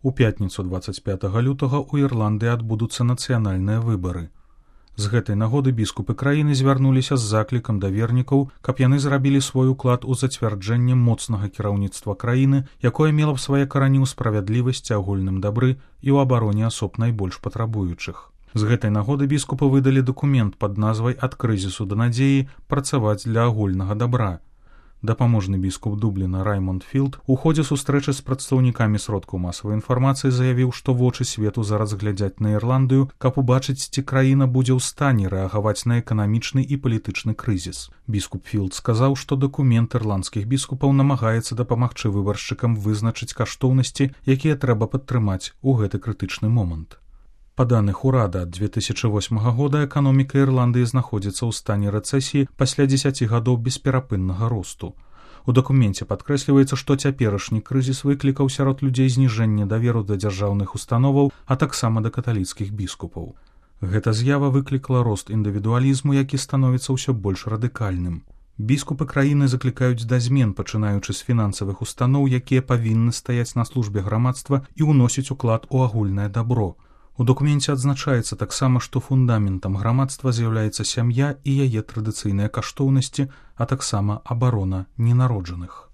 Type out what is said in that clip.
У пятніцу 25 лютага ў Ірландыі адбудуцца нацыянальныя выбары. З гэтай нагоды біскупы краіны звярнуліся з заклікам да вернікаў, каб яны зрабілі свой уклад у зацвярджэнне моцнага кіраўніцтва краіны, якое мела б свае карані ў справядлівасці, агульным дабры і ў абароне асоб найбольш патрабуючых. З гэтай нагоды біскупы выдалі дакумент пад назвай «Ад крызісу да надзеі. Працаваць для агульнага дабра». Дапаможны біскуп Дубліна Раймонд Філд у ходзе сустрэчы з прадстаўнікамі сродкаў масавай інфармацыі заявіў, што вочы свету зараз глядзяць на Ірландыю, каб убачыць, ці краіна будзе ў стане рэагаваць на эканамічны і палітычны крызіс. Біскуп Філд сказаў, што дакумент ірландскіх біскупаў намагаецца дапамагчы выбаршчыкам вызначыць каштоўнасці, якія трэба падтрымаць у гэты крытычны момант. Па даных урада, ад 2008 года эканоміка Ірландыі знаходзіцца ў стане рэцэсіі пасля 10 гадоў бесперапыннага росту. У дакуменце падкрэсліваецца, што цяперашні крызіс выклікаў сярод людзей зніжэнне даверу да дзяржаўных установаў, а таксама да каталіцкіх біскупаў. Гэта з'ява выклікала рост індывідуалізму, які становіцца ўсё больш радыкальным. Біскупы краіны заклікаюць да змен, пачынаючы з фінансавых устаноў, якія павінны стаяць на службе грамадства і ўносіць уклад у агульнае дабро. У дакуменце адзначаецца таксама, што фундаментам грамадства з'яўляецца сям'я і яе традыцыйныя каштоўнасці, а таксама абарона ненароджаных.